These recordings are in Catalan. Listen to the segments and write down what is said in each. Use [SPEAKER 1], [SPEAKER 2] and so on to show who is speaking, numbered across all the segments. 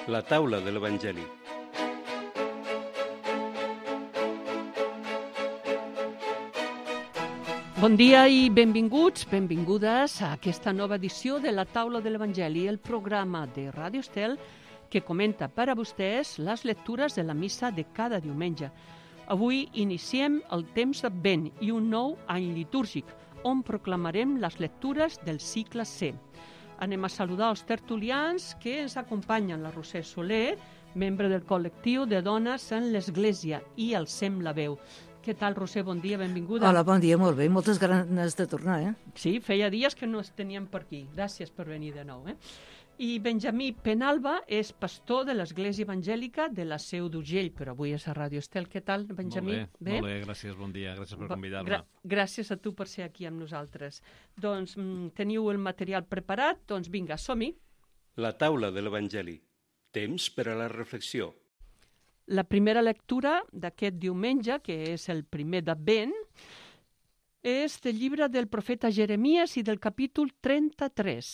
[SPEAKER 1] La taula de l'Evangeli.
[SPEAKER 2] Bon dia i benvinguts, benvingudes a aquesta nova edició de la taula de l'Evangeli, el programa de Ràdio Estel que comenta per a vostès les lectures de la missa de cada diumenge. Avui iniciem el temps d'Advent i un nou any litúrgic, on proclamarem les lectures del cicle C. Anem a saludar els tertulians que ens acompanyen, la Roser Soler, membre del col·lectiu de dones en l'Església, i el Sem la veu. Què tal, Roser? Bon dia, benvinguda.
[SPEAKER 3] Hola, bon dia, molt bé. Moltes ganes de tornar,
[SPEAKER 2] Sí, feia dies que no es teníem per aquí. Gràcies per venir de nou, I Benjamí Penalba és pastor de l'Església Evangèlica de la Seu d'Urgell, però avui és a Ràdio Estel. Què tal, Benjamí?
[SPEAKER 4] Molt bé, gràcies, bon dia, gràcies per convidar-me.
[SPEAKER 2] Gràcies a tu per ser aquí amb nosaltres. Doncs teniu el material preparat, doncs vinga, som-hi.
[SPEAKER 1] La taula de l'Evangeli. Temps per a la reflexió.
[SPEAKER 2] La primera lectura d'aquest diumenge, que és el primer d'Advent, és del llibre del profeta Jeremies i del capítol 33.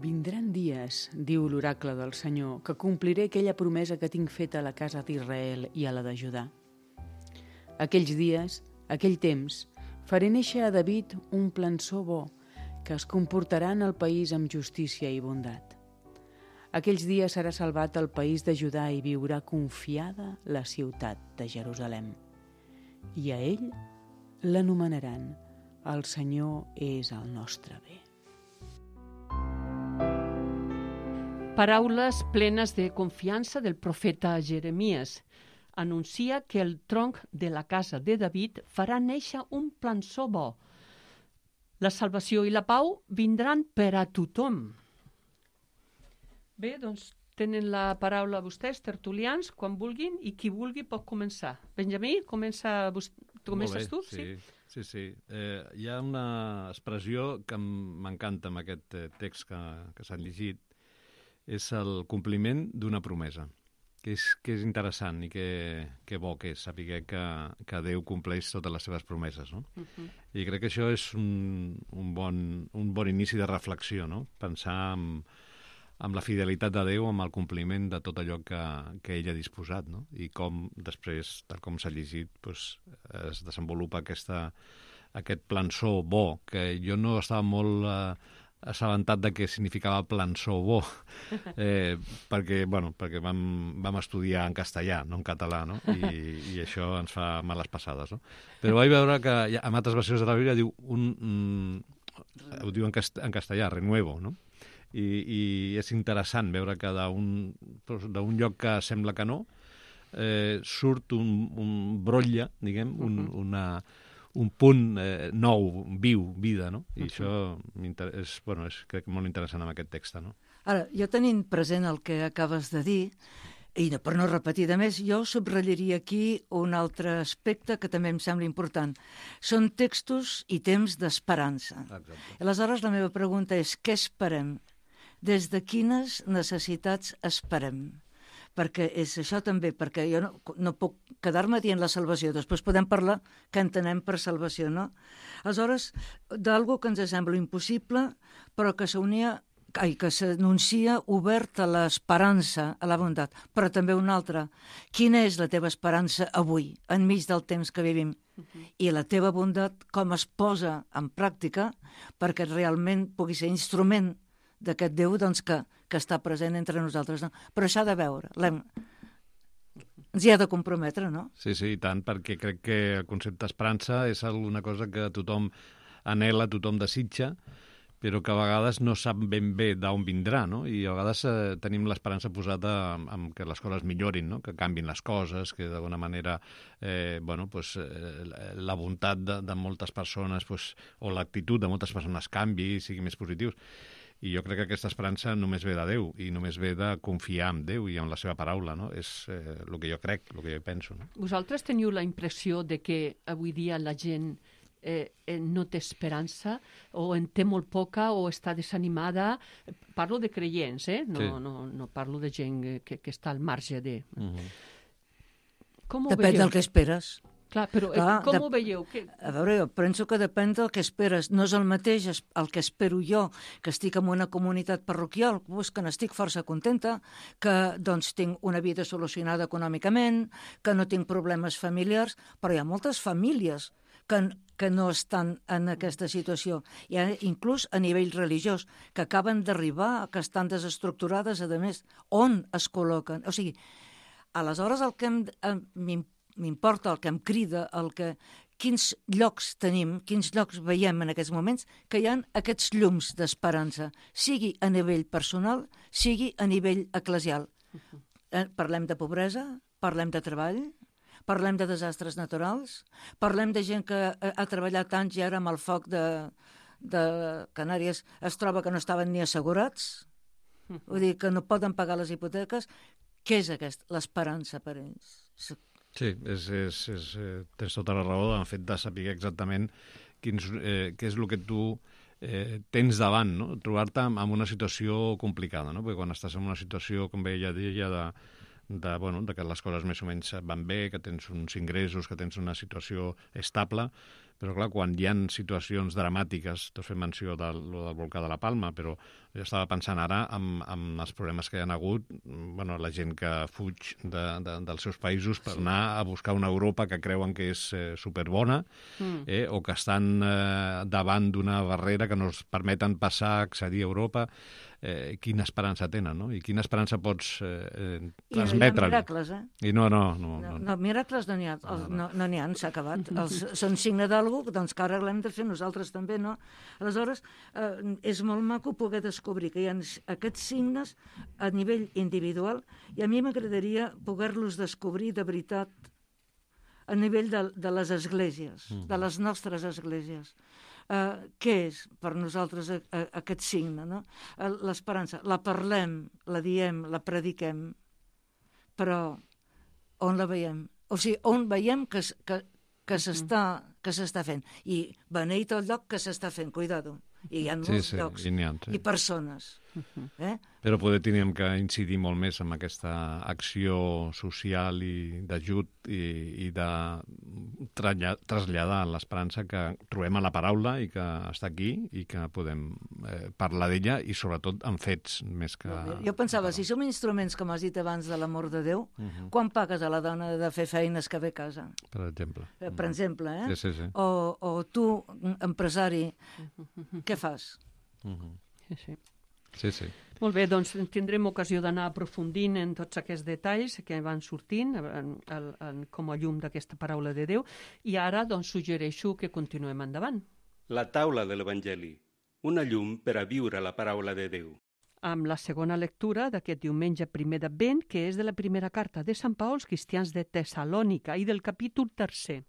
[SPEAKER 5] Vindran dies, diu l'oracle del Senyor, que compliré aquella promesa que tinc feta a la casa d'Israel i a la de Judà. Aquells dies, aquell temps, faré néixer a David un plançó bo, que es comportarà en el país amb justícia i bondat. Aquells dies serà salvat el país de Judà i viurà confiada la ciutat de Jerusalem. I a ell l'anomenaran el Senyor és el nostre bé.
[SPEAKER 2] Paraules plenes de confiança del profeta Jeremies. Anuncia que el tronc de la casa de David farà néixer un plançó bo. La salvació i la pau vindran per a tothom. Bé, doncs tenen la paraula vostès, tertulians, quan vulguin, i qui vulgui pot començar. Benjamí, comences tu?
[SPEAKER 4] Sí. Hi ha una expressió que m'encanta amb aquest text que s'han llegit, és el compliment d'una promesa, que és interessant i que bo que és saber que Déu compleix totes les seves promeses, no? I crec que això és un bon inici de reflexió, no? Pensar amb la fidelitat de Déu, amb el compliment de tot allò que ell ha disposat, no? I com després, tal com s'ha llegit, es desenvolupa aquest plançó bo, que jo no estava molt assabentat de què significava plançó bo, perquè vam estudiar en castellà, no en català, no? I això ens fa males passades, no? Però vaig veure que en altres versions de la Bíblia ho diu en castellà, renuevo, no? I és interessant veure que d'un lloc que sembla que no, surt un brotlle, diguem, un punt nou, viu, vida, no? I això és crec molt interessant amb aquest text, no?
[SPEAKER 3] Ara, jo tenint present el que acabes de dir, i per no repetir de més, jo subratllaria aquí un altre aspecte que també em sembla important. Són textos i temps d'esperança. Aleshores, la meva pregunta és, què esperem? Des de quines necessitats esperem? Perquè és això també, perquè jo no puc quedar-me dient la salvació, després podem parlar què entenem per salvació, no? Aleshores, d'algú que ens sembla impossible, però que s'anuncia obert a l'esperança, a la bondat, però també una altra. Quina és la teva esperança avui, enmig del temps que vivim? I la teva bondat, com es posa en pràctica perquè realment pugui ser instrument d'aquest Déu doncs, que està present entre nosaltres. No? Però s'ha de veure, ens hi ha de comprometre, no?
[SPEAKER 4] Sí, i tant, perquè crec que el concepte d'esperança és alguna cosa que tothom anhela, tothom desitja, però que a vegades no sap ben bé d'on vindrà, no? I a vegades tenim l'esperança posada en que les coses millorin, no? Que canvin les coses, que d'alguna manera la bondat de moltes persones o l'actitud de moltes persones canvi i sigui més positiu. I jo crec que aquesta esperança només ve de Déu i només ve de confiar en Déu i en la seva paraula, no? És el que jo crec, el que jo penso. No?
[SPEAKER 2] Vosaltres teniu la impressió de que avui dia la gent no té esperança o en té molt poca o està desanimada? Parlo de creients, no parlo de gent que està al marge de...
[SPEAKER 3] Depèn del que esperes.
[SPEAKER 2] Clar, però com ho veieu?
[SPEAKER 3] A veure, jo penso que depèn del que esperes. No és el mateix el que espero jo, que estic en una comunitat parroquial, que n'estic força contenta, que doncs tinc una vida solucionada econòmicament, que no tinc problemes familiars, però hi ha moltes famílies que no estan en aquesta situació. Hi ha inclús a nivell religiós, que acaben d'arribar, que estan desestructurades, a més, on es col·loquen. O sigui, aleshores el que m'importa, el que em crida, quins llocs tenim, quins llocs veiem en aquests moments, que hi ha aquests llums d'esperança, sigui a nivell personal, sigui a nivell eclesial. Parlem de pobresa, parlem de treball, parlem de desastres naturals, parlem de gent que ha treballat anys i ara amb el foc de Canàries es troba que no estaven ni assegurats, vull dir que no poden pagar les hipoteques. Què és l'esperança per ells?
[SPEAKER 4] Sí, tens tota la raó en el fet de saber exactament què és el que tu tens davant, no? Trobar-te en una situació complicada, no? Perquè quan estàs en una situació, com ella deia, de que les coses més o menys van bé, que tens uns ingressos, que tens una situació estable, però clar, quan hi ha situacions dramàtiques, t'has fet menció del volcà de la Palma, però jo estava pensant ara en els problemes que hi ha hagut, la gent que fuig dels seus països per anar a buscar una Europa que creuen que és superbona, o que estan davant d'una barrera que no els permeten passar, accedir a Europa. Quina esperança tenen, no? I quina esperança pots transmetre.
[SPEAKER 3] I miracles, No, miracles no n'hi ha, no n'hi ha, s'ha acabat. Són signe d'algú, doncs que ara l'hem de fer nosaltres també, no? Aleshores, és molt maco poder descobrir que hi ha aquests signes a nivell individual i a mi m'agradaria poder-los descobrir de veritat a nivell de les esglésies, de les nostres esglésies. Què és per nosaltres aquest signe, no? L'esperança. La parlem, la diem, la prediquem, però on la veiem? O sigui, on veiem que s'està fent? I beneït el lloc que s'està fent, cuidado. I hi ha molts llocs. I persones.
[SPEAKER 4] Però poder teníem que incidir molt més en aquesta acció social i d'ajut i de traslladar l'esperança que trobem a la paraula i que està aquí i que podem parlar d'ella i sobretot en fets més que...
[SPEAKER 3] Jo pensava, si som instruments, com has dit abans, de l'amor de Déu, quan pagues a la dona de fer feines que ve a casa?
[SPEAKER 4] Per exemple.
[SPEAKER 3] Per exemple,
[SPEAKER 4] Sí.
[SPEAKER 3] O tu, empresari, què fas?
[SPEAKER 4] Sí.
[SPEAKER 2] Molt bé, doncs tindrem ocasió d'anar aprofundint en tots aquests detalls que van sortint com a llum d'aquesta paraula de Déu i ara doncs suggereixo que continuem endavant.
[SPEAKER 1] La taula de l'Evangeli, una llum per a viure la paraula de Déu.
[SPEAKER 2] Amb la segona lectura d'aquest diumenge 1 d'Advent, que és de la primera carta de Sant Pau als cristians de Tessalònica i del capítol 3.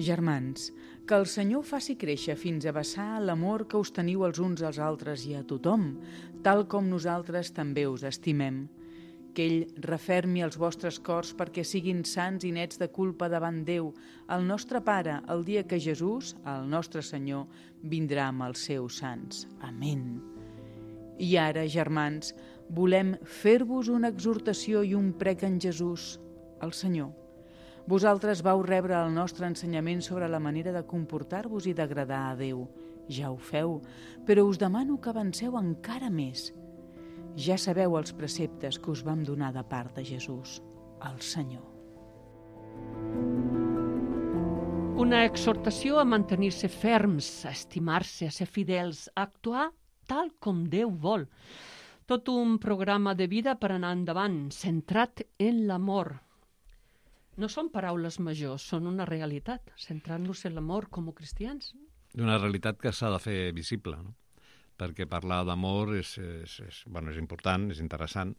[SPEAKER 5] Germans, que el Senyor faci créixer fins a vessar l'amor que us teniu els uns als altres i a tothom, tal com nosaltres també us estimem. Que ell refermi els vostres cors perquè siguin sants i nets de culpa davant Déu, el nostre Pare, el dia que Jesús, el nostre Senyor, vindrà amb els seus sants. Amén. I ara, germans, volem fer-vos una exhortació i un prec en Jesús, el Senyor. Vosaltres vau rebre el nostre ensenyament sobre la manera de comportar-vos i d'agradar a Déu. Ja ho feu, però us demano que avanceu encara més. Ja sabeu els preceptes que us vam donar de part de Jesús, el Senyor.
[SPEAKER 2] Una exhortació a mantenir-se ferms, a estimar-se, a ser fidels, a actuar tal com Déu vol. Tot un programa de vida per anar endavant, centrat en l'amor. No són paraules majors, són una realitat, centrant-nos en l'amor com a cristians.
[SPEAKER 4] Una realitat que s'ha de fer visible, no? Perquè parlar d'amor és important, és interessant,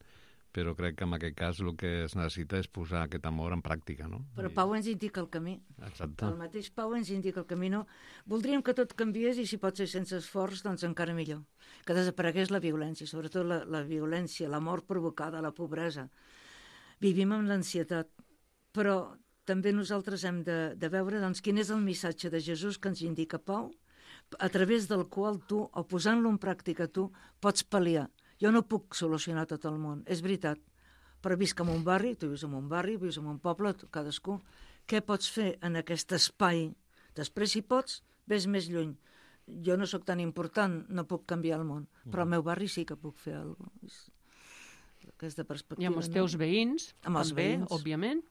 [SPEAKER 4] però crec que en aquest cas el que es necessita és posar aquest amor en pràctica, no?
[SPEAKER 3] Però Pau ens indica el camí.
[SPEAKER 4] Exacte.
[SPEAKER 3] El mateix Pau ens indica el camí, no? Voldríem que tot canviés i si pot ser sense esforç, doncs encara millor. Que desaparegués la violència, sobretot la violència, la mort provocada, la pobresa. Vivim amb l'ansietat, però també nosaltres hem de veure doncs, quin és el missatge de Jesús que ens indica Pau, a través del qual tu, o posant-lo en pràctica tu, pots pal·liar. Jo no puc solucionar tot el món, és veritat, però visc en un barri, tu vius en un barri, vius en un poble, cadascú. Què pots fer en aquest espai? Després, si pots, ves més lluny. Jo no sóc tan important, no puc canviar el món, però al meu barri sí que puc fer alguna cosa. Aquesta perspectiva.
[SPEAKER 2] I amb els teus veïns,
[SPEAKER 3] amb els
[SPEAKER 2] també,
[SPEAKER 3] veïns.
[SPEAKER 2] Òbviament.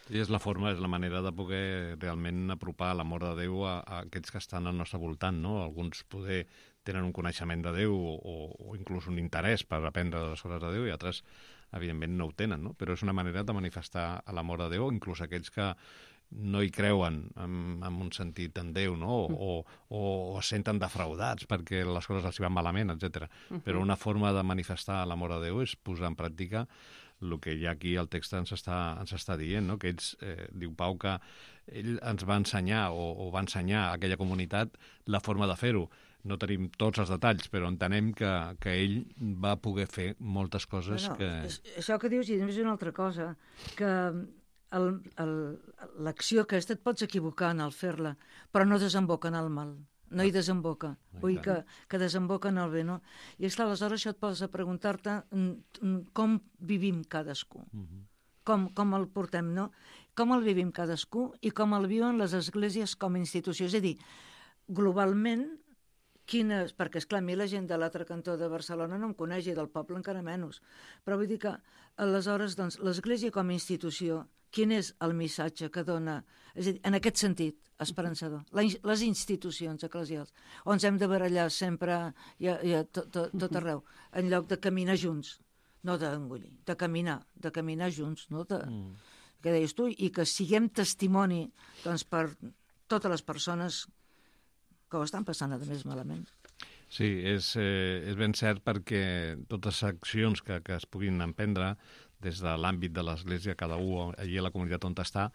[SPEAKER 4] I és la forma, és la manera de poder realment apropar l'amor de Déu a aquests que estan al nostre voltant, no? Alguns poder tenen un coneixement de Déu o inclús un interès per aprendre les coses de Déu i altres, evidentment, no ho tenen, no? Però és una manera de manifestar l'amor de Déu, inclús aquells que no hi creuen en un sentit en Déu, no? O es senten defraudats perquè les coses els hi van malament, etc. Però una forma de manifestar l'amor de Déu és posar en pràctica el que ja aquí el text ens està dient, no? Que ells, diu Pau, que ell ens va ensenyar o va ensenyar a aquella comunitat la forma de fer-ho. No tenim tots els detalls, però entenem que ell va poder fer moltes coses que...
[SPEAKER 3] Això que dius, i és una altra cosa, que l'acció aquesta et pots equivocar en el fer-la, però no desemboca en el mal, no hi desemboca, vull dir que desemboca en el bé, no? I esclar, aleshores això et poses a preguntar-te com vivim cadascú, com el portem, no? Com el vivim cadascú i com el viuen les esglésies com a institució, és a dir, globalment, perquè, esclar, a mi la gent de l'altre cantó de Barcelona no em coneix i del poble encara menys, però vull dir que aleshores doncs, l'església com a institució, quin és el missatge que dona, és a dir, en aquest sentit, esperançador, les institucions eclesials, on ens hem de barallar sempre tot arreu, en lloc de caminar junts, no d'engullir, de caminar junts, no? Què deies tu? I que siguem testimoni doncs, per totes les persones que ho estan passant, a més, malament.
[SPEAKER 4] Sí, és ben cert perquè totes les accions que es puguin emprendre des de l'àmbit de l'Església, cada un allí a la comunitat on està,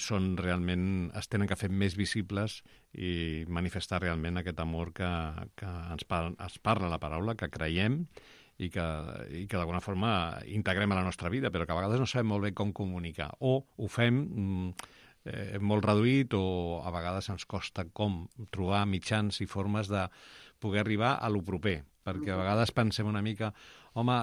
[SPEAKER 4] són realment, es tenen que fer més visibles i manifestar realment aquest amor que ens parla la paraula, que creiem i que d'alguna forma integrem a la nostra vida, però que a vegades no sabem molt bé com comunicar, o ho fem molt reduït o a vegades ens costa com trobar mitjans i formes de poder arribar a lo proper, perquè a vegades pensem una mica, home,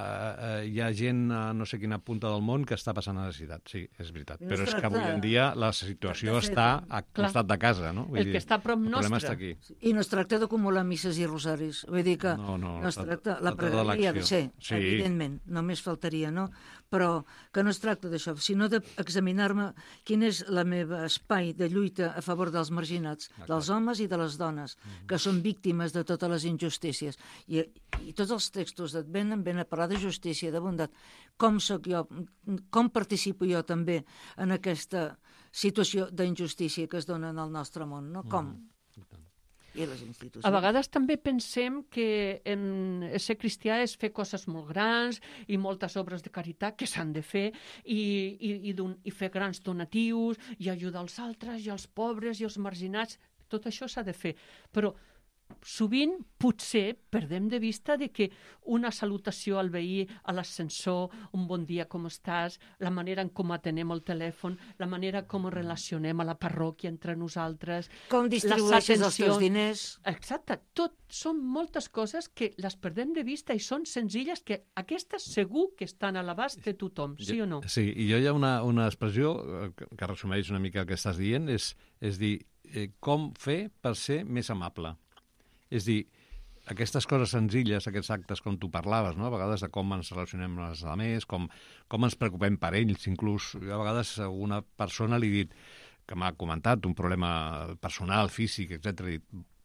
[SPEAKER 4] hi ha gent a no sé quina punta del món que està passant necessitat. Sí, és veritat, però és que avui en dia la situació està a costat de casa, no?
[SPEAKER 2] El que està a prop nostre.
[SPEAKER 4] El problema està aquí.
[SPEAKER 3] I no es tracta d'acumular misses i rosaris, vull dir que no es tracta, la pregària ha de ser, evidentment, només faltaria, no? Però que no es tracta d'això, sinó d'examinar-me quin és el meu espai de lluita a favor dels marginats, dels homes i de les dones, que són víctimes de totes les injustícies. I tots els textos d'Advent venen a parlar de justícia, de bondat. Com soc jo, com participo jo també en aquesta situació d'injustícia que es dona en el nostre món, no? Com? I les institucions.
[SPEAKER 2] A vegades també pensem que ser cristià és fer coses molt grans i moltes obres de caritat que s'han de fer i fer grans donatius i ajudar els altres i els pobres i els marginats. Tot això s'ha de fer, però sovint potser perdem de vista de que una salutació al veí a l'ascensor, un bon dia, com estàs, la manera en com atenem el telèfon, la manera com ens relacionem a la parròquia entre nosaltres,
[SPEAKER 3] com distribueixes els teus diners.
[SPEAKER 2] Exacte, tot són moltes coses que les perdem de vista i són senzilles que aquestes segur que estan a l'abast de tothom, sí o no?
[SPEAKER 4] Sí, i jo hi ha una expressió que resumeix una mica el que estàs dient, és dir, com fer per ser més amable. És dir, aquestes coses senzilles, aquests actes com tu parlaves, no? A vegades de com ens relacionem amb els altres, com ens preocupem per ells, inclús. Jo a vegades a alguna persona li he dit, que m'ha comentat un problema personal, físic, etc.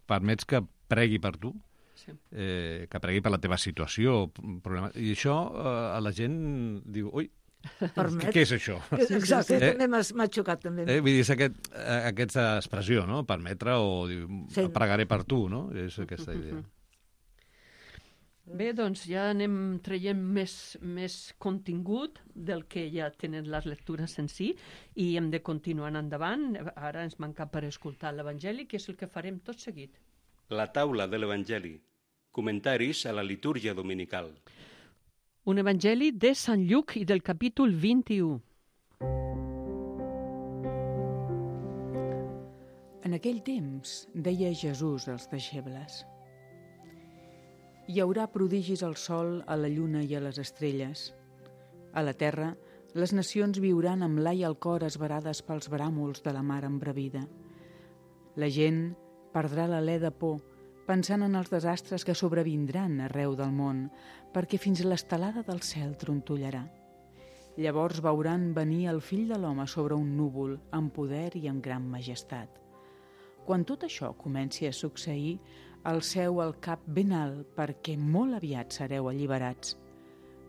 [SPEAKER 4] Permets que pregui per tu? Sí. Que pregui per la teva situació? I això a la gent diu, ui, què és això?
[SPEAKER 3] Exacte, també m'ha xocat també.
[SPEAKER 4] Vull dir, és aquesta expressió, no? Permetre o pregaré per tu, no? És aquesta idea.
[SPEAKER 2] Bé, doncs ja anem traient més contingut del que ja tenen les lectures en si i hem de continuar endavant. Ara ens manca per escoltar l'Evangeli, que és el que farem tot seguit.
[SPEAKER 1] La taula de l'Evangeli. Comentaris a la litúrgia dominical.
[SPEAKER 2] Un evangeli de Sant Lluc i del capítol 21.
[SPEAKER 5] En aquell temps deia Jesús als deixebles: hi haurà prodigis al sol, a la lluna i a les estrelles. A la terra, les nacions viuran amb l'ai al cor esverades pels bràmols de la mar embravida. La gent perdrà l'alè de por, pensant en els desastres que sobrevindran arreu del món, perquè fins l'estelada del cel trontollarà. Llavors veuran venir el fill de l'home sobre un núvol, amb poder i amb gran majestat. Quan tot això comenci a succeir, alceu el cap ben alt, perquè molt aviat sereu alliberats.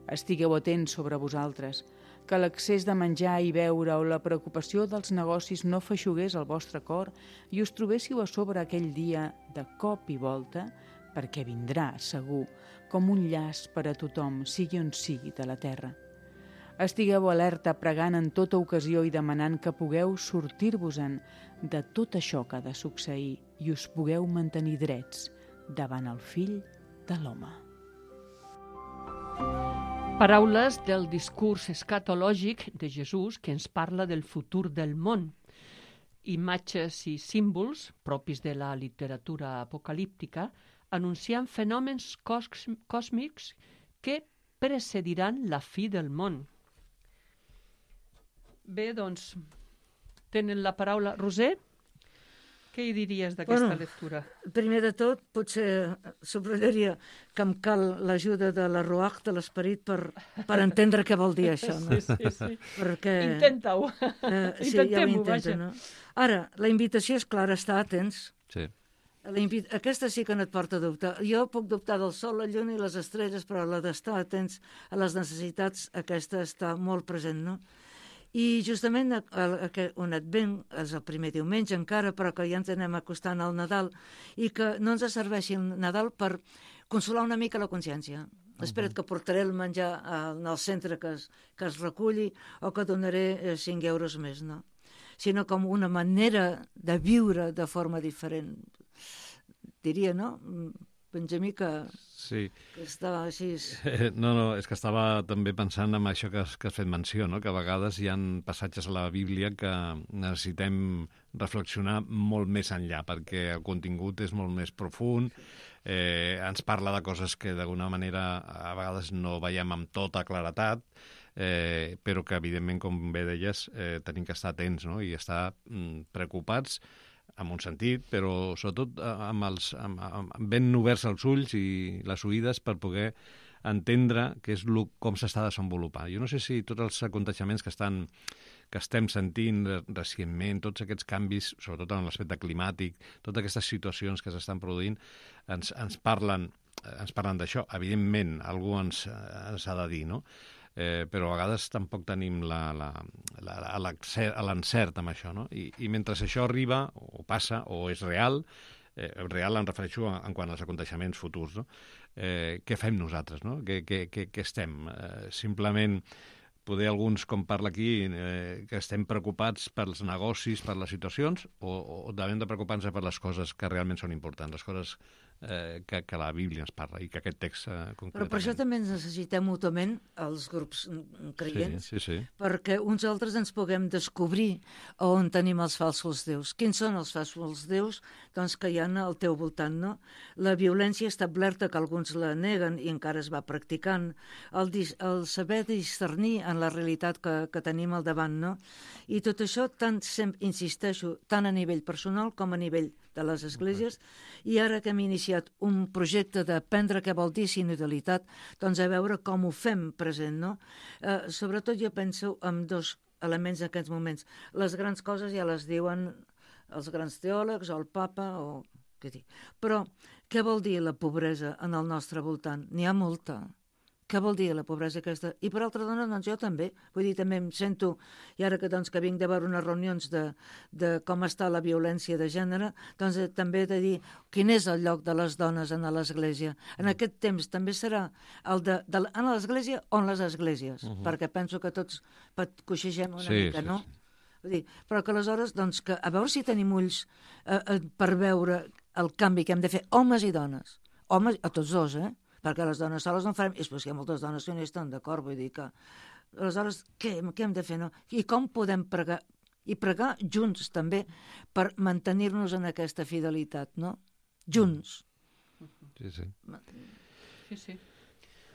[SPEAKER 5] Estigueu atents sobre vosaltres, que l'excés de menjar i beure o la preocupació dels negocis no feixugués el vostre cor i us trobéssiu a sobre aquell dia de cop i volta, perquè vindrà, segur, com un llaç per a tothom, sigui on sigui de la terra. Estigueu alerta, pregant en tota ocasió i demanant que pugueu sortir-vos-en de tot això que ha de succeir i us pugueu mantenir drets davant el fill de l'home.
[SPEAKER 2] Paraules del discurs escatològic de Jesús que ens parla del futur del món. Imatges i símbols propis de la literatura apocalíptica anunciant fenòmens còsmics que precediran la fi del món. Bé, doncs, tenen la paraula. Roser, què hi diries d'aquesta lectura?
[SPEAKER 3] Primer de tot, potser subrallaria que em cal l'ajuda de la Ruach, de l'esperit, per entendre què vol dir això. No?
[SPEAKER 2] Sí.
[SPEAKER 3] Perquè,
[SPEAKER 2] intenta-ho.
[SPEAKER 3] Sí, ja ho intento, no? Ara, la invitació és clara, estar atents.
[SPEAKER 4] Sí.
[SPEAKER 3] Aquesta sí que no et porta a dubtar. Jo puc dubtar del sol, la lluna i les estrelles, però la d'estar atents a les necessitats, aquesta està molt present, no? I justament un advent, és el primer diumenge encara, però que ja ens anem acostant al Nadal, i que no ens serveixi el Nadal per consolar una mica la consciència. Espera't que portaré el menjar al centre que es reculli o que donaré 5 euros més, no? Sinó com una manera de viure de forma diferent. Diria, no? Benjamí, que estava així...
[SPEAKER 4] No, és que estava també pensant en això que has fet menció, no? Que a vegades hi ha passatges a la Bíblia que necessitem reflexionar molt més enllà, perquè el contingut és molt més profund, ens parla de coses que d'alguna manera a vegades no veiem amb tota claretat, però que evidentment, com bé deies, tenim que estar atents, no? I estar preocupats en un sentit, però sobretot ben oberts els ulls i les oïdes per poder entendre què és com s'està desenvolupant. Jo no sé si tots els aconteixements que estem sentint recentment, tots aquests canvis, sobretot en l'aspecte climàtic, totes aquestes situacions que s'estan produint, ens parlen d'això. Evidentment, algú ens ha de dir, no? Però a vegades tampoc tenim l'encert amb això, no? I mentre això arriba, o passa, o és real em refereixo en quant als aconteixements futurs, no? Què fem nosaltres, no? Què estem? Simplement, poder alguns, com parla aquí, que estem preocupats pels negocis, per les situacions, o devem de preocupar-nos per les coses que realment són importants, les coses que la Bíblia ens parla i que aquest text concretament...
[SPEAKER 3] Però per això també ens necessitem mútuament els grups creients,
[SPEAKER 4] sí.
[SPEAKER 3] perquè uns altres ens puguem descobrir on tenim els falsos déus. Quins són els falsos déus? Doncs que hi ha al teu voltant, no? La violència establerta, que alguns la neguen i encara es va practicant, el saber discernir en la realitat que tenim al davant, no? I tot això, insisteixo, tant a nivell personal com a nivell de les esglésies, i ara que hem iniciat un projecte d'aprendre què vol dir sinodalitat, doncs a veure com ho fem present, no? Sobretot jo penso en 2 elements en aquests moments. Les grans coses ja les diuen els grans teòlegs o el papa o què dir. Però què vol dir la pobresa en el nostre voltant? N'hi ha molta. Què vol dir la pobresa aquesta? I per altra dona, doncs jo també. Vull dir, també em sento, i ara que vinc de veure unes reunions de com està la violència de gènere, doncs també he de dir quin és el lloc de les dones en l'Església. En aquest temps també serà el en l'Església o en les esglésies, perquè penso que tots coixegem una mica, no? Vull dir, però que aleshores, doncs, que a veure si tenim ulls per veure el canvi que hem de fer, homes i dones. Homes, a tots dos, perquè les dones soles no farem, i després hi ha moltes dones que no hi estan d'acord, vull dir que... Aleshores, què hem de fer, no? I com podem pregar? I pregar junts, també, per mantenir-nos en aquesta fidelitat, no? Junts.
[SPEAKER 4] Sí.
[SPEAKER 2] Sí.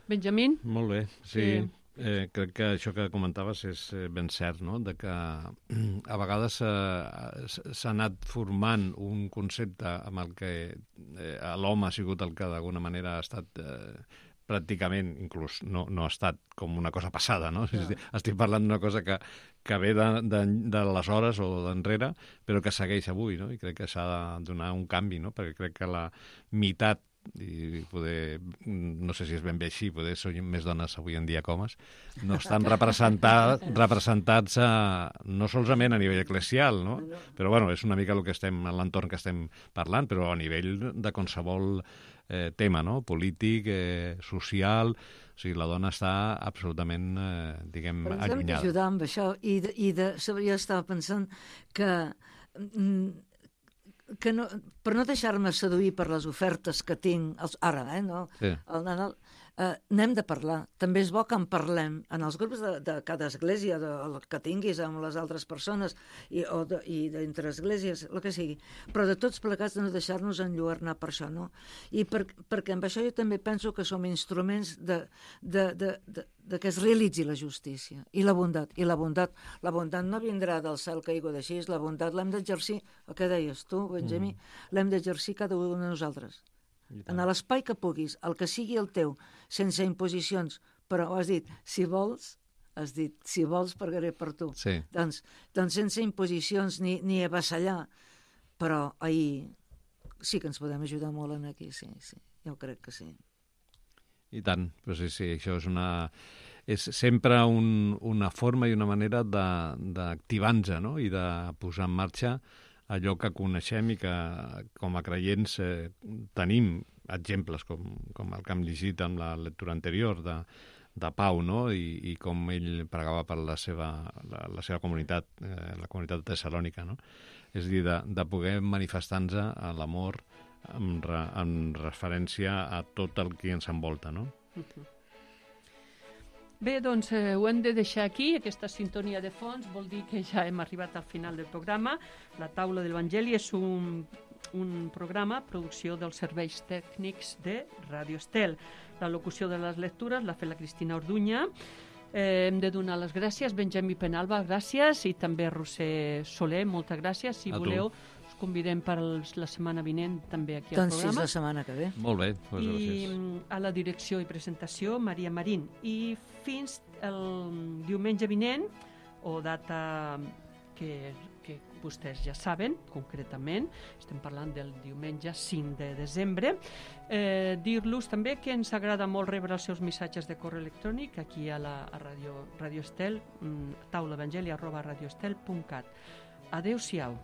[SPEAKER 2] Benjamín?
[SPEAKER 4] Molt bé, sí. crec que això que comentaves és ben cert, no? De que a vegades s'ha anat formant un concepte amb el que l'home ha sigut el que d'alguna manera ha estat pràcticament, inclús no ha estat com una cosa passada, no? Estic parlant d'una cosa que ve d'aleshores o d'enrere, però que segueix avui, no? I crec que s'ha de donar un canvi, no? Perquè crec que la meitat, i poder, no sé si és ben bé així, poder són més dones avui en dia que homes, no estan representats no solament a nivell eclesial, no? Però bueno, és una mica el que estem, l'entorn que estem parlant, però a nivell de qualsevol tema, no? Polític, social, o sigui, la dona està absolutament, diguem, allunyada. Però ens hem
[SPEAKER 3] d'ajudar amb això, jo estava pensant que no, per no deixar-me seduir per les ofertes que tinc ara, no? Sí. N'hem de parlar. També és bo que en parlem en els grups de cada església, el que tinguis amb les altres persones i d'entre esglésies, el que sigui. Però de tots plegats de no deixar-nos enlluernar per això, no? I perquè amb això jo també penso que som instruments de que es realitzi la justícia i la bondat. I la bondat no vindrà del cel caigut així, la bondat l'hem d'exercir, el que deies tu, Benjamí, l'hem d'exercir cada un de nosaltres. En l'espai que puguis, el que sigui el teu, sense imposicions, però has dit, si vols pregaré per tu.
[SPEAKER 4] Sí.
[SPEAKER 3] Doncs sense imposicions ni avassallar, però ahir sí que ens podem ajudar molt en aquí, sí, jo crec que sí.
[SPEAKER 4] I tant, però sí, això és sempre una forma i una manera d'activar-nos, no? I de posar en marxa allò que coneixem i que com a creients tenim exemples com el que hem llegit amb la lectura anterior de Pau, no? I com ell pregava per la seva comunitat, la comunitat de Tessalònica, no? És a dir, de poder manifestar-nos a l'amor en referència a tot el que ens envolta, no?
[SPEAKER 2] Bé, doncs ho hem de deixar aquí, aquesta sintonia de fons vol dir que ja hem arribat al final del programa. La taula de l'Evangeli és un programa, producció dels serveis tècnics de Ràdio Estel. La locució de les lectures l'ha fet la Cristina Orduña. Hem de donar les gràcies, Benjamí Penalba, gràcies, i també Roser Soler, moltes gràcies. Si voleu, us convidem per la setmana vinent també aquí al programa.
[SPEAKER 3] Doncs sí, la setmana que ve.
[SPEAKER 4] Molt bé, doncs
[SPEAKER 2] gràcies. I a la direcció i presentació, Maria Marín. I fins el diumenge vinent, o data que vostès ja saben, concretament, estem parlant del diumenge 5 de desembre, dir-los també que ens agrada molt rebre els seus missatges de correu electrònic aquí a Radio Estel, taulaevangeli@radioestel.cat. Adéu-siau.